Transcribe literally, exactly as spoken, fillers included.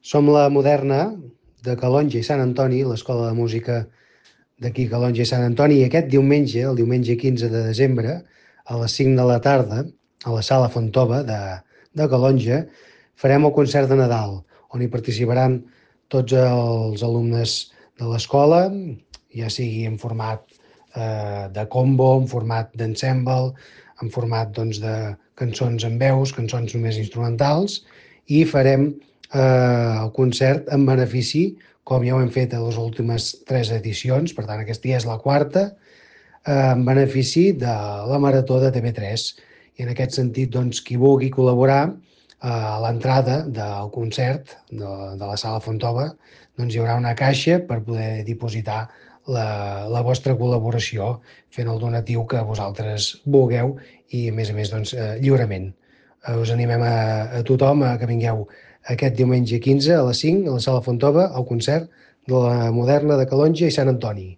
Som la Moderna de Calonge i Sant Antoni, l'Escola de Música d'aquí Calonge i Sant Antoni, i aquest diumenge, el diumenge quinze de desembre, a les cinc de la tarda, a la Sala Fontova de, de Calonge, farem el concert de Nadal, on hi participaran tots els alumnes de l'escola, ja sigui en format eh, de combo, en format d'ensemble, en format doncs, de cançons en veus, cançons només instrumentals, i farem eh, el concert en benefici, com ja ho hem fet a les últimes tres edicions, per tant aquesta ja és la quarta, eh, en benefici de la Marató de T V tres. I en aquest sentit, doncs, qui vulgui col·laborar eh, a l'entrada del concert de, de la Sala Fontova, doncs hi haurà una caixa per poder dipositar la, la vostra col·laboració fent el donatiu que vosaltres vulgueu i, a més a més, doncs, eh, lliurement. Eh, us animem a, a tothom a que vingueu aquest diumenge quinze a les cinc a la Sala Fontova al concert de la Moderna de Calonge i Sant Antoni.